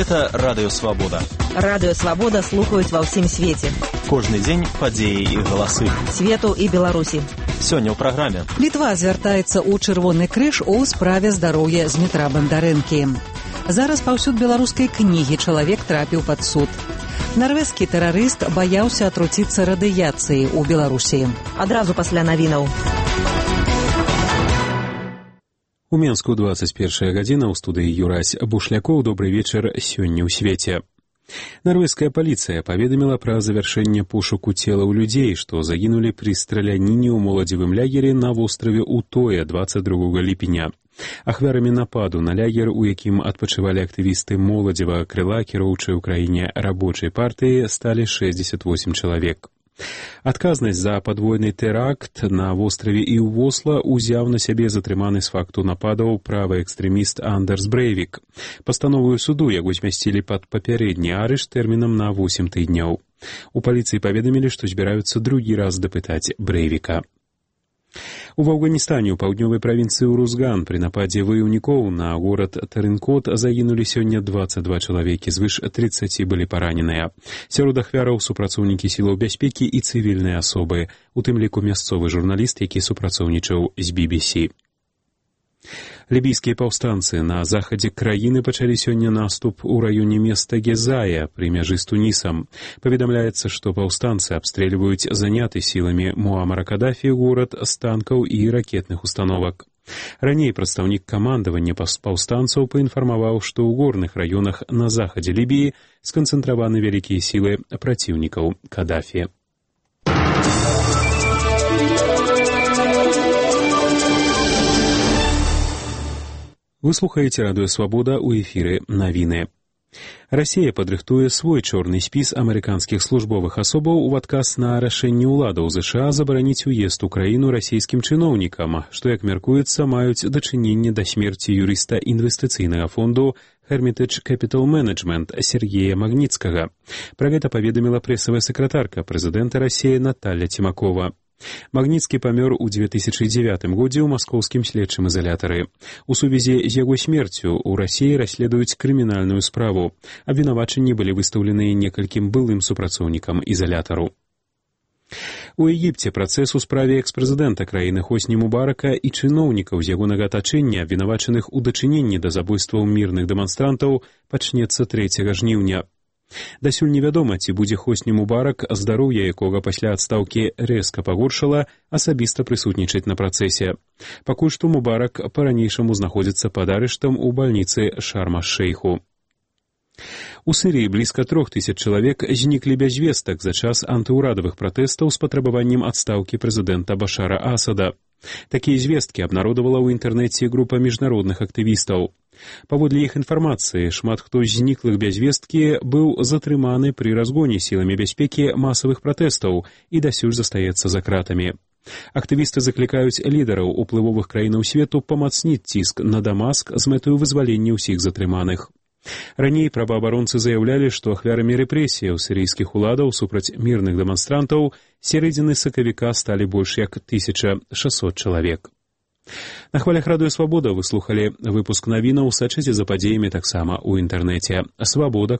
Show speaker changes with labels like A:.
A: Гэта радыёвабода.
B: Радыёвабода слухаюць ва ўсім свеце.
A: Кожны дзень падзеі і галасы.
B: Свету і Беларусі.
A: Сёння ў праграме.
C: Літва звяртаецца ў Чырвоны крыж у справе здароўя Змітра Бандарэнкі. Зараз паўсюд беларускай кнігі чалавек трапіў пад суд. Нарвежскі тэрарыст баяўся атруціцца радыяцыяй у Беларусі.
B: Адразу пасля навінаў.
D: У Менску 21 гадзіна, ў студыі Юрась Бушлякоў. Добрый вечар сёння ў свеце. Нарвежская паліцыя паведаміла пра завяршэнне пошуку целаў людзей, што загінулі пры страляніне ў моладзевым лягеры на востраве Утоя 22 ліпеня. Ахвярамі нападу на лягер, у якім адпачывалі актывісты моладзевага крыла кіроўчай у краіне рабочай партыі, сталі 68 чалавек. Адказнасць за падвойны тэракт на востраве і ў Осла узяў на сябе затрыманы з факту нападаў правы экстрэміст Андерс Брейвік. Пастановую суду яго змясцілі пад папярэдні арышт тэрмінам на 8 тыдняў. У паліцыі паведамілі, што збіраюцца другі раз дапытаць Брейвіка. У Афганістане ў паўднёвай правінцыі Урузган пры нападзе ваяўнікоў на горад Тарынкот загінулі сёння 22 чалавекі, звыш 30 былі параненыя. Сярод ахвяраў супрацоўнікі сілаў бяспекі і цывільныя асобы, у тым ліку мясцовы журналіст, які супрацоўнічаў з BBC. Лібійскія паўстанцы на захадзе краіны пачалі сёння наступ у раёне места Гезая пры мяжы з Тунісам. Паведамляецца, што паўстанцы абстрэльваюць заняты сіламі Муамара Кадафі горад з танкаў і ракетных установак. Раней прадстаўнік камандавання паўстанцаў паінфармаваў, што ў горных раёнах на захадзе Лібіі сканцэнтраваны вялікія сілы праціўнікаў Кадафі. Вы слухаеце радыёвабода, у эфіры навіны. Расія падрыхтуе свой чорны спіс амерыканскіх службовых асобаў у адказ на рашэнне ўладаў ЗША забараніць уезд у краіну расійскім чыноўнікам, што, як мяркуецца, маюць дачыненне да смерці юрыста інвестыцыйнага фонду Hermitage Capital Management Сергея Магніцкага. Пра гэта паведаміла прэсавая сакратарка прэзідэнта Расіі Наталья Цімакова. Магніцкі памёр у 2009 годзе ў маскоўскім следчым изалятары. У сувязі з яго смерцю ў Расіі расследуюць крымінальную справу. Абвінавачанні былі выстаўлены некалькім былым супрацоўнікам изалятару. У Егіпце працэс у справе экс-прэзідэнта краіны Хосні Мубарака і чыноўнікаў з ягонага атачэння, абвінавачаных у дачыненні да забойстваў мірных дэманстрантаў, пачнецца 3 жніўня. Дасюль невядома, ці будзе Хосні Мубарак, здароўе якога пасля адстаўкі рэзка пагоршала, асабіста прысутнічаць на працэсе. Пакуль што Мубарак па-ранейшаму знаходзіцца пад арыштам у бальніцы Шарм-аш-Шэйху. У Сірыі блізка 3000 чалавек зніклі без вестак за час антыўрадавых пратэстаў з патрабаваннем адстаўкі прэзідэнта Башара Асада. Такія звесткі абнародавала ў інтэрнэце група міжнародных актывістаў. Паводле іх інфармацыі, шмат хто з зніклых без весткі быў затрыманы пры разгоне сіламі бяспекі масавых пратэстаў і дасюль застаецца за кратамі. Актывісты заклікаюць лідараў уплывовых краінаў свету памацніць ціск на Дамаск з мэтаю вызвалення ўсіх затрыманых. Раней праваабаронцы заяўлялі, што ахвярамі рэпрэсіяў сірыйскіх уладаў супраць мірных дэманстрантаў сярэдзіны сакавіка сталі больш як 1600 чалавек. На хвалях радыёвабода вы слухалі выпуск навінаў, сачыце за падзеямі таксама ў інтэрнэце. Свабода.